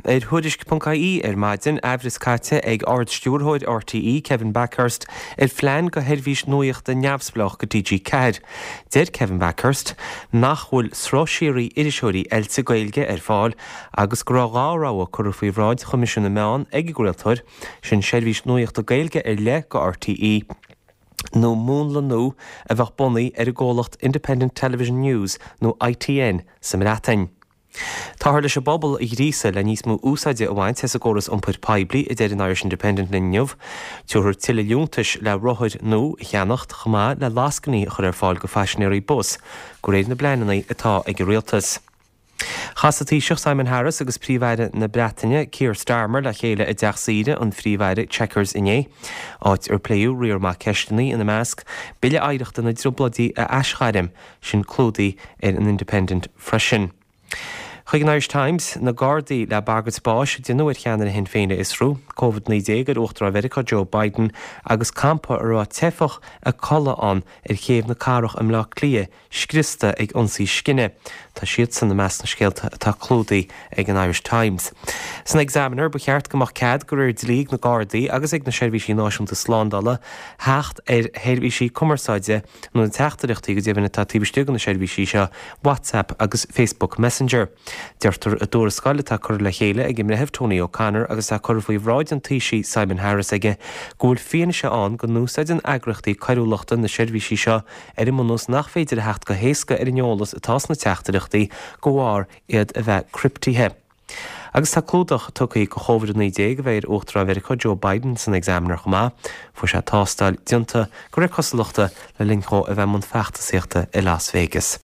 Ar Tuairisc.ie ar maidin, aimhreas caite ag Ard-Stiúrthóir RTÉ, Kevin Bakhurst, ar phlean do sheirbhís nuachta neamhspleách do TG4. Deir Kevin Bakhurst nach bhfuil sruth síoraí iriseoirí oilte Gaeilge ar fáil agus go raibh 2 rogha curtha faoi bhráid Choimisiún na Meán ag an gcraoltóir, sin seirbhís nuachta Gaeilge ar leith do RTÉ, nó múnla nua a bheadh bunaithe ar an gcomhlacht Independent Television News nó ITN sa mBreatain. Táthar leis an bpobal a ghríosadh le níos mó úsáide a bhaint as an gcóras iompair poiblí, a deir an Irish Independent linn inniu. Tabharfar tuilleadh liúntais le rothair nua a cheannacht, chomh maith le lascainí a chur ar fáil do phaisinéirí bus, de réir na bpleananna atá ag an rialtas. Chas an Taoiseach Simon Harris agus Príomh-Aire na Breataine Keir Starmer le chéile i dteach saoire an Phríomh-Aire, Chequers, inné, áit ar pléadh riar maith ceisteanna, ina measc, Bille Oidhreachta na dTrioblóidí a aisghairm, sin clúdaithe ar an Independent freisin. Chuig an Irish Times, na Gardaí le bagairt báis a déanadh ar cheannaire Shinn Féin a fhiosrú, Covid-19 ar Uachtarán Mheiriceá Joe Biden agus campa a raibh teifeach ag codladh ann ar chéibh na cathrach i mBleá Cliath scriosta ag ionsaí scine. Tá siadsan i measc na scéalta atá clúdaithe ag an Irish Times. San Examiner, ba cheart go mbeadh cead de réir dlí ag na Gardaí agus ag na Seirbhísí Náisiúnta Slándála theacht ar sheirbhísí cumarsáide nó na teachtaireachtaí go deimhin atá taobh istigh de na seirbhísí seo, WhatsApp agus Facebook Messenger. Deirtear i dtuarascáil atá curtha le chéile ag an mBreitheamh Tony O'Connor agus atá curtha faoi bhráid an Taoisigh Simon Harris aige go bhfuil fianaise ann go n-úsáideann eagraíochtaí coiriúlachta na seirbhísí seo ar an mbunús nach féidir a theacht go héasca ar an eolas atá sna teachtaireachtaí de bharr iad a bheith criptithe. Agus tá clúdach tugtha do Chóvid 19 a bheidh ar Uachtarán Mheiriceá Joe Biden san Examiner chomh maith. Fuair sé tástáil déanta, de réir cosúlachta, le linn dhó a bheith i mbun feachtasaíochta i Las Vegas.